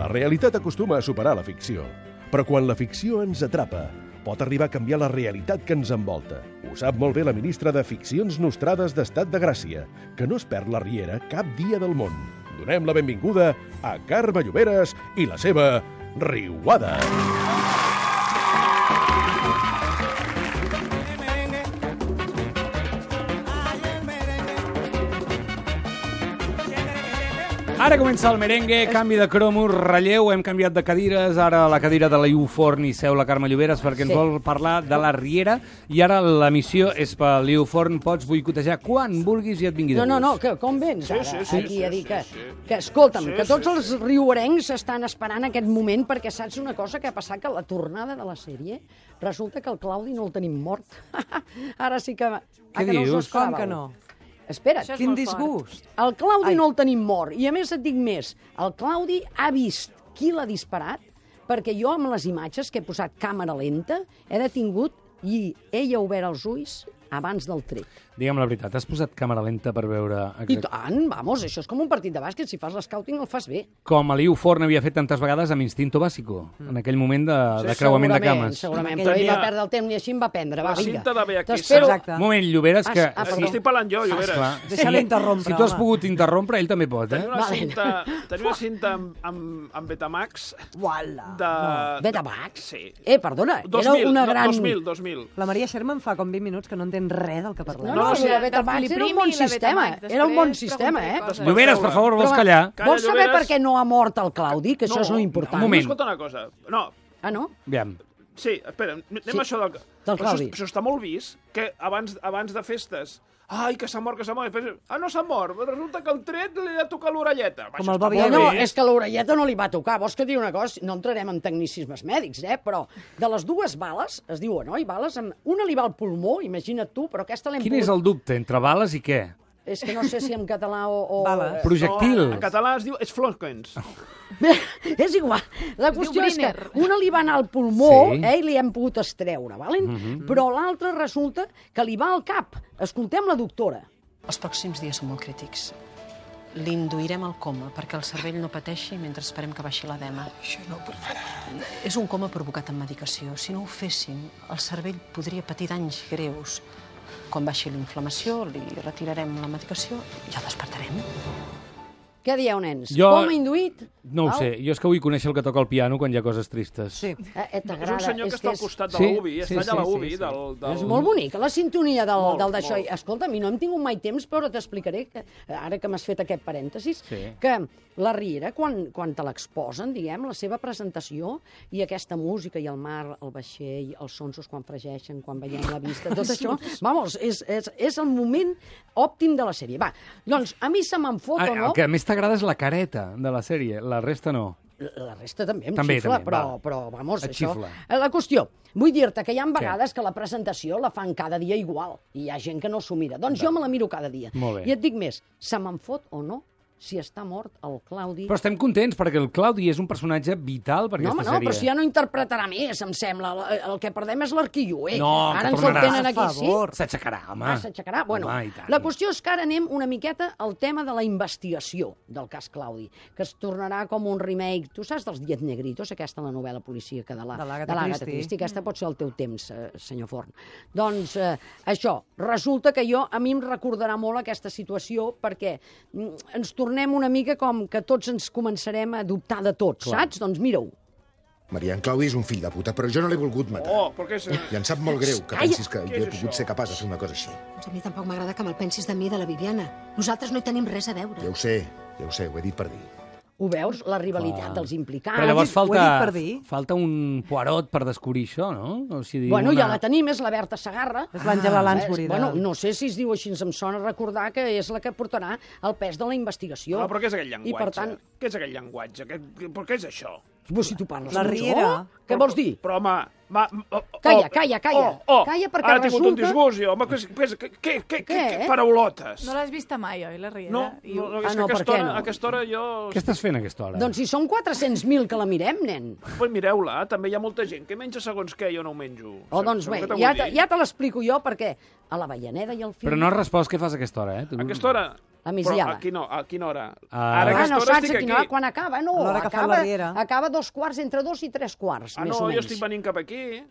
La realitat acostuma a superar la ficció, però quan la ficció ens atrapa, pot arribar a canviar la realitat que ens envolta. Ho sap molt bé la ministra de Ficcions Nostrades d'Estat de Gràcia, que no es perd la riera cap dia del món. Donem la benvinguda a Carme Lloberes i la seva Riuada. Ara comença el merengue, canvi de cromo, relleu, hem canviat de cadires, ara la cadira de la Iu Forn i seu la Carme Lloberes perquè ens vol parlar de la riera i ara la missió és per l'Iu Forn, pots boicotejar quan vulguis i et vingui de gust. No, que com vens ara aquí a dir que escolta'm, que tots els riuarencs estan esperant aquest moment perquè saps una cosa que ha passat, que la tornada de la sèrie resulta que el Claudi no el tenim mort. Ara sí que... Què dius? Com que no? Espera't. Quin disgust. El Claudi no el tenim mort. I a més et dic més, el Claudi ha vist qui l'ha disparat perquè jo amb les imatges que he posat càmera lenta he detingut i ell ha obert els ulls abans del tret. Digue'm la veritat, has posat càmera lenta per veure... I tant, vamos, això és com un partit de bàsquet, si fas l'escouting el fas bé. Com a l'Iu Forn havia fet tantes vegades amb Instinto Básico, en aquell moment de creuament de cames. Segurament, però ell va perdre el temps i així em va prendre. La cinta de Beatriz. Un moment, Lloberes, que... Estic parlant jo, Lloberes. Deixa-la interrompre, si tu has pogut interrompre, ell també pot, eh? Tenia una cinta amb Betamax. Betamax? Sí. Perdona, era una gran... 2000. La Maria Sherman fa com 20 minuts que no entén res del que parlem. No, la Betamax era un bon sistema. Era un bon sistema, eh? Lloberes, per favor, vols callar? Vols saber per què no ha mort el Claudi? Que això és l'important. Un moment. Escolta una cosa. No. Ah, no? Aviam. Sí, espera, anem a això del Claudi. Això està molt vist, que abans de festes... Ai, que s'ha mort, que s'ha mort. No s'ha mort. Resulta que el tret li ha tocat l'orelleta. Com el Bobby. No, és que l'orelleta no li va tocar. Vols que digui una cosa? No entrarem en tecnicismes mèdics, però de les dues bales, es diuen, oi? Bales, una li va al pulmó, imagina't tu, però aquesta l'hem Quin és el dubte? Entre bales i què? És que no sé si en català o... Projectil. En català es diu Florkens. És igual. La qüestió és que una li va anar al pulmó, i li hem pogut estreure, però l'altra resulta que li va al cap. Escoltem la doctora. Els pròxims dies són molt crítics. L'induirem al coma perquè el cervell no pateixi mentre esperem que baixi l'edema. Això no, per favor. És un coma provocat amb medicació. Si no ho fessin, el cervell podria patir danys greus. Quan baixi la inflamació, li retirarem la medicació i el despertarem. Què dieu, nens? Com induït? No ho sé, jo és que vull conèixer el que toca el piano quan hi ha coses tristes. Sí. És un senyor que està al costat de la UBI, està allà a la UBI. És molt bonica la sintonia del d'això. Escolta, a mi no hem tingut mai temps, però t'explicaré, ara que m'has fet aquest parèntesis, que la riera, quan te l'exposen, diguem, la seva presentació, i aquesta música, i el mar, el vaixell, els sonsos quan fregeixen, quan veiem la vista, tot això, vamos, és el moment òptim de la sèrie. Va, doncs, a mi se me'n fot o no... El que més t'agrada és la careta de la sèrie, la resta no. La resta també em xifla, però vamos, això... xifla. La qüestió, vull dir-te que hi ha vegades que la presentació la fan cada dia igual, i hi ha gent que no s'ho mira. Doncs jo me la miro cada dia. I et dic més, se me'n fot o no si està mort el Claudi... Però estem contents, perquè el Claudi és un personatge vital per aquesta sèrie. No, però si ja no interpretarà més, em sembla. El que perdem és l'arquilloer. No, ara ens el tenen aquí, sí? S'aixecarà, home. S'aixecarà? Bueno, la qüestió és que ara anem una miqueta al tema de la investigació del cas Claudi, que es tornarà com un remake. Tu saps dels Diez Negritos, aquesta la novel·la policíaca de l'Agatha Christie? Aquesta pot ser el teu temps, senyor Forn. Doncs això, resulta que a mi em recordarà molt aquesta situació perquè ens tornem una mica com que tots ens començarem a dubtar de tots, saps? Doncs mira-ho. Maria, en Claudi és un fill de puta, però jo no l'he volgut matar. I em sap molt greu que pensis que jo he pogut ser capaç de fer una cosa així. Doncs a mi tampoc m'agrada que me'l pensis de mi i de la Viviana. Nosaltres no hi tenim res a veure. Ja ho sé, ho he dit per dir. Ho veus? La rivalitat dels implicats. Però llavors falta un Poirot per descobrir això, no? Bueno, ja la tenim, és la Berta Segarra. És l'Àngela Lansbury. Bueno, no sé si es diu així, em sona recordar que és la que portarà el pes de la investigació. Però què és aquell llenguatge? Què és aquell llenguatge? Però què és això? Si tu parles la riera. Què vols dir? Però, home... Calla. Calla, perquè ara he tingut un disgust, jo. Què paraulotes? No l'has vista mai, oi, la riera? No, a aquesta hora jo... Què estàs fent a aquesta hora? Doncs si són 400.000 que la mirem, nen. Pues mireu-la, també hi ha molta gent que menja segons què, jo no ho menjo. Doncs bé, ja te l'explico jo, perquè a la Avellaneda i al film... Però no has respost què fas a aquesta hora, A aquesta hora... La migdiada. Però a quina hora? Ara a aquesta hora estic aquí. Quan acaba, no. A l'hora que fa la riera. Acaba 2:15, entre 2 i 3:15, més o menys. Jo estic venint cap aquí.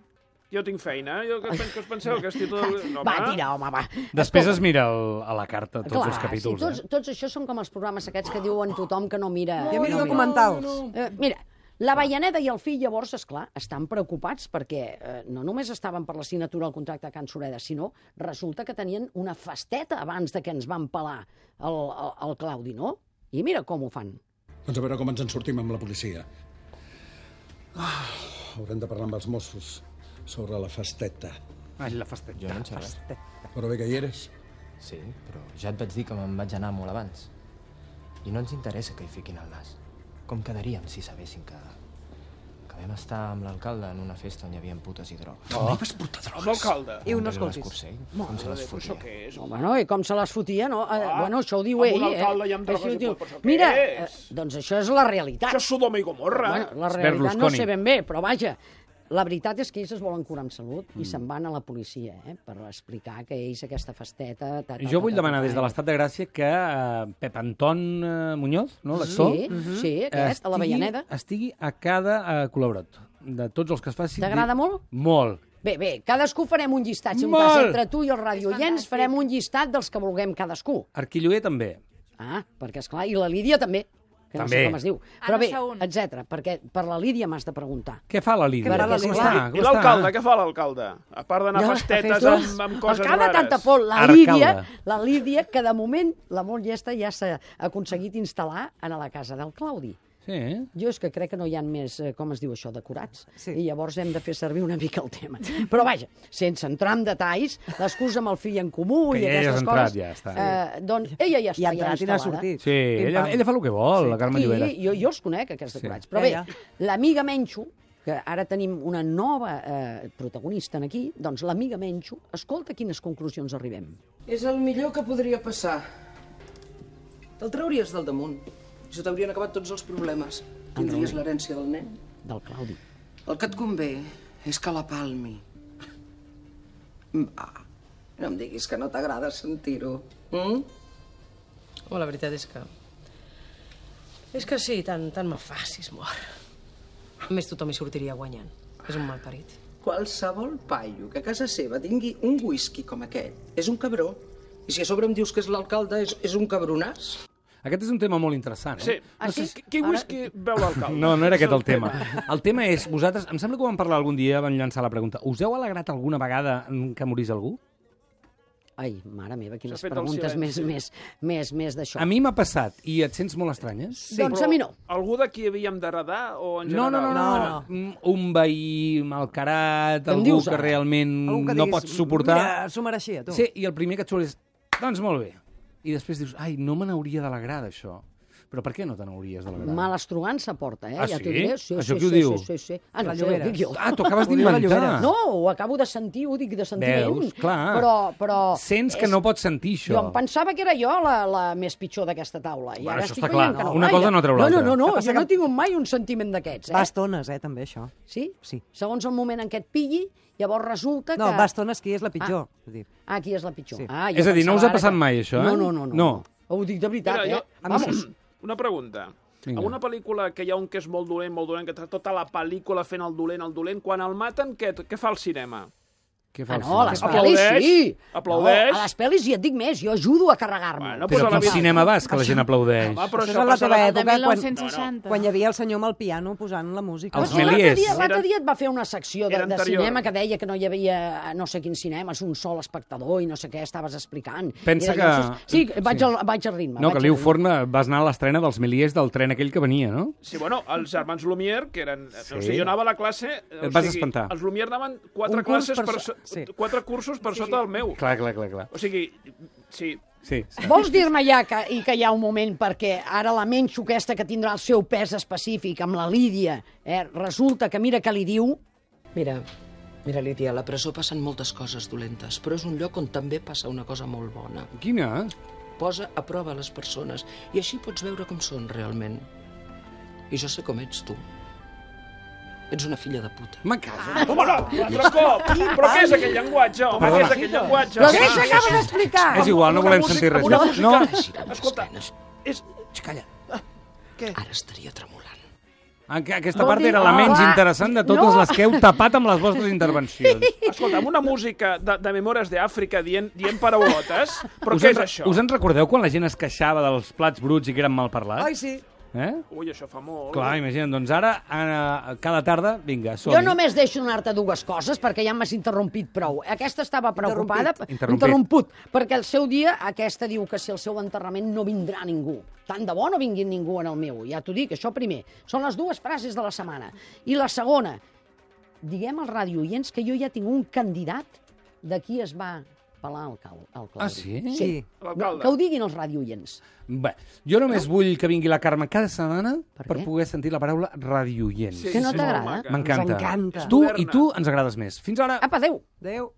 Jo tinc feina. Què us penseu? Que estic tot... Va, tira, home, va. Després es mira a la carta tots els capítols. Sí, tots això són com els programes aquests que diuen tothom que no mira... Jo miro documentals. Mira, l'Avellaneda i el fill, llavors, esclar, estan preocupats perquè no només estaven per la signatura del contracte de Can Sureda, sinó resulta que tenien una festeta abans de que ens van pelar el Claudi, no? I mira com ho fan. Doncs a veure com ens en sortim amb la policia. Haurem de parlar amb els Mossos sobre la festeta. Ai, la festeta. Jo no en sé res. Però bé que hi eres. Sí, però ja et vaig dir que me'n vaig anar molt abans. I no ens interessa que hi fiquin el nas. Com quedaríem si sabessin que vam estar amb l'alcalde en una festa on hi havia putes i drogues. Oh. Vas portar drogues? Amb l'alcalde? I no escoltis. Com se les fotia? Bueno, i com se les fotia, no? Bueno, això ho diu ell, Amb un alcalde i amb drogues i pot, però mira, què és? doncs això és la realitat. Això és Sodoma i Gomorra. Bueno, la realitat no sé ben bé, però vaja, la veritat és que ells es volen curar amb salut i se'n van a la policia, per explicar que ells aquesta festeta... Jo vull demanar des de l'Estat de Gràcia que Pep Anton Muñoz, no, l'actor? Sí, aquest, a l'Avellaneda. Estigui a cada col·laborat de tots els que es facin... T'agrada molt? Molt. Bé, cadascú farem un llistat. Si un cas entre tu i els radioients farem un llistat dels que vulguem cadascú. Arquilloer també. Perquè, esclar, i la Lídia també. Que no sé com es diu. Però bé, etcètera, perquè per la Lídia m'has de preguntar. Què fa la Lídia? I l'alcalde? Què fa l'alcalde? A part d'anar a festetes amb coses rares. El que ha tanta por, la Lídia, que de moment la molt llesta ja s'ha aconseguit instal·lar a la casa del Claudi. Sí. Jo és que crec que no hi ha més, com es diu això, decorats. I llavors hem de fer servir una mica el tema. Però vaja, sense entrar en detalls, l'excusa amb el fill en comú i aquestes coses... Ja està. Doncs ella ja està instal·lada. Sí, ella fa el que vol, la Carme Llobera. Sí, jo els conec, aquests decorats. Però bé, l'amiga Menxo, que ara tenim una nova protagonista aquí, doncs l'amiga Menxo, escolta quines conclusions arribem. És el millor que podria passar. Te'l trauries del damunt. I se t'haurien acabat tots els problemes. Tindries l'herència del nen. Del Claudi. El que et convé és que la palmi. Va, no em diguis que no t'agrada sentir-ho. La veritat és que... És que sí, tant me fa si es mor. A més, tothom hi sortiria guanyant. És un malparit. Qualsevol paio que a casa seva tingui un whisky com aquest és un cabró. I si a sobre em dius que és l'alcalde, és un cabronàs. Aquest és un tema molt interessant, Sí. Quin whisky veu l'alcalde? No era aquest el tema. El tema és, vosaltres, em sembla que ho vam parlar algun dia, vam llançar la pregunta, us heu alegrat alguna vegada que morís algú? Ai, mare meva, quines preguntes més d'això. A mi m'ha passat, i et sents molt estranya? Doncs a mi no. Algú d'aquí havíem d'heredar o en general? No. Un veí malcarat, algú que realment no pots suportar. Mira, s'ho mereixia, tu. Sí, i el primer que et surt és, doncs molt bé. I després dius, ai, no me n'hauria d'alegrar d'això. Però per què no te n'hauries d'alegrar? Malastrugança porta, Ah, ja sí? t'ho diré. Això qui ho diu? Sí. No sé, ho dic jo. T'ho acabes d'inventar. No, ho acabo de sentir, ho dic de sentiment. Veus, clar. Però sents que no pots sentir això. Jo em pensava que era jo la més pitjor d'aquesta taula. I ara això estic està clar. veient que no. Una cosa no treu l'altra. No, jo no tinc mai un sentiment d'aquests. Va estones, també, això. Sí? Sí. Segons el moment en què et pilli, llavors resulta que... No, va estones qui és la pitjor. Qui és la pitjor. És a dir, no us ha passat mai, això, eh? No. Ho dic de veritat, Vamos. Una pregunta. En una pel·lícula que hi ha un que és molt dolent, que tota la pel·lícula fent el dolent, quan el maten, què fa al cinema? Què fa a les pel·lis sí. Aplaudeix. A les pel·lis, i et dic més, jo ajudo a carregar-me. Però a quin cinema vas, que la gent aplaudeix? Això és a la teva època, quan hi havia el senyor amb el piano posant la música. Els Méliès. L'altre dia et va fer una secció de cinema que deia que no hi havia no sé quins cinemes, un sol espectador i no sé què estaves explicant. Pensa que... Sí, vaig al ritme. No, que Liu Forn vas anar a l'estrena dels Méliès del tren aquell que venia, no? Sí, bueno, els germans Lumière, que eren... O sigui, jo anava a la classe... Et vas espantar. Els Lumière anaven 4 classes quatre cursos per sota del meu. Clar. O sigui, sí. Vols dir-me ja que hi ha un moment perquè ara la Menxo aquesta que tindrà el seu pes específic amb la Lídia, resulta que mira què li diu... Mira, Lídia, a la presó passen moltes coses dolentes, però és un lloc on també passa una cosa molt bona. Quina? Posa a prova les persones i així pots veure com són realment. I jo sé com ets tu. Ets una filla de puta. Me caso. Home, no, l'altre cop. Però què és aquell llenguatge, home? Què és aquell llenguatge? Però què s'acaba d'explicar? És igual, no volem sentir res. No, escolta, és... Calla. Què? Ara estaria tremolant. Aquesta part era la menys interessant de totes les que heu tapat amb les vostres intervencions. Escolta, amb una música de Memòries d'Àfrica dient paraulotes, però què és això? Us en recordeu quan la gent es queixava dels plats bruts i que eren mal parlats? Ai, sí. Ui, això fa molt. Clar, imagina't, doncs ara, cada tarda, vinga, som-hi. Jo només deixo donar-te dues coses, perquè ja m'has interrompit prou. Aquesta estava preocupada... Interromput. Perquè el seu dia, aquesta diu que si el seu enterrament no vindrà ningú. Tant de bo no vingui ningú en el meu. Ja t'ho dic, això primer. Són les dues frases de la setmana. I la segona, diguem als radiooients que jo ja tinc un candidat de qui es va pelar el Claudi. Ah, sí? Sí. Que ho diguin els radiooients. Bé, jo només vull que vingui la Carme cada setmana per poder sentir la paraula radioient. Que no t'agrada? M'encanta. Ens encanta. Tu i tu ens agrades més. Fins ara. Apa, adéu. Adéu.